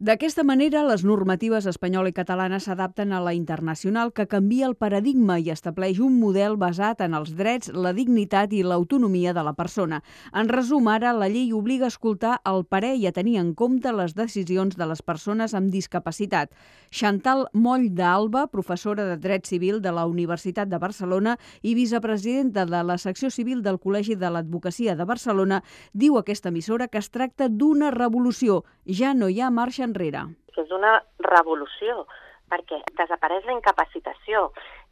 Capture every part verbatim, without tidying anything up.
D'aquesta manera, les normatives espanyola i catalana s'adapten a la internacional, que canvia el paradigma i estableix un model basat en els drets, la dignitat i l'autonomia de la persona. En resum, ara, la llei obliga a escoltar el parer i a tenir en compte les decisions de les persones amb discapacitat. Chantal Moll d'Alba, professora de Dret Civil de la Universitat de Barcelona i vicepresidenta de la secció civil del Col·legi de l'Advocacia de Barcelona, diu a aquesta emissora que es tracta d'una revolució. Ja no hi ha marxa enrere. És una revolució, perquè desapareix la incapacitació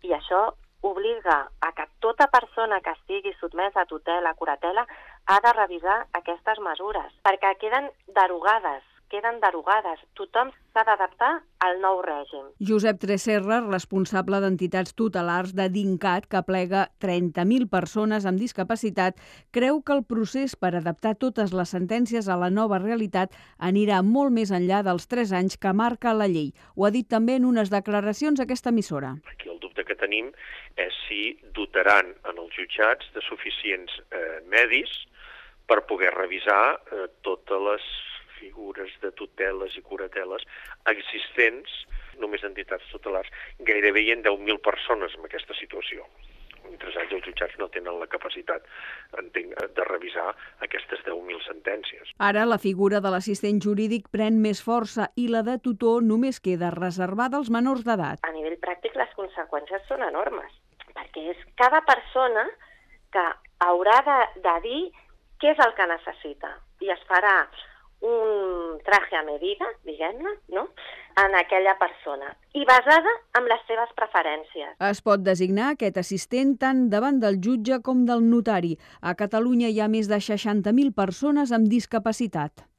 i això obliga a que tota persona que estigui sotmesa a tutela, a curatela, ha de revisar aquestes mesures, perquè queden derogades, queden derogades. Tothom s'ha d'adaptar al nou règim. Josep Tresserra, responsable d'entitats tutelars de DINCAT, que aplega trenta mil persones amb discapacitat, creu que el procés per adaptar totes les sentències a la nova realitat anirà molt més enllà dels tres anys que marca la llei. Ho ha dit també en unes declaracions a aquesta emissora. Aquí el dubte que tenim és si dotaran en els jutjats de suficients eh, medis per poder revisar eh, totes les figures de tuteles i curateles existents, només entitats tutelars. Gairebé hi ha deu mil persones en aquesta situació. En tres anys els jutjats no tenen la capacitat, entenc, de revisar aquestes deu mil sentències. Ara la figura de l'assistent jurídic pren més força i la de tutor només queda reservada als menors d'edat. A nivell pràctic les conseqüències són enormes, perquè és cada persona que haurà de, de dir què és el que necessita i es farà un traje a medida, diguem-ne, no?, en aquella persona, i basada en les seves preferències. Es pot designar aquest assistent tant davant del jutge com del notari. A Catalunya hi ha més de seixanta mil persones amb discapacitat.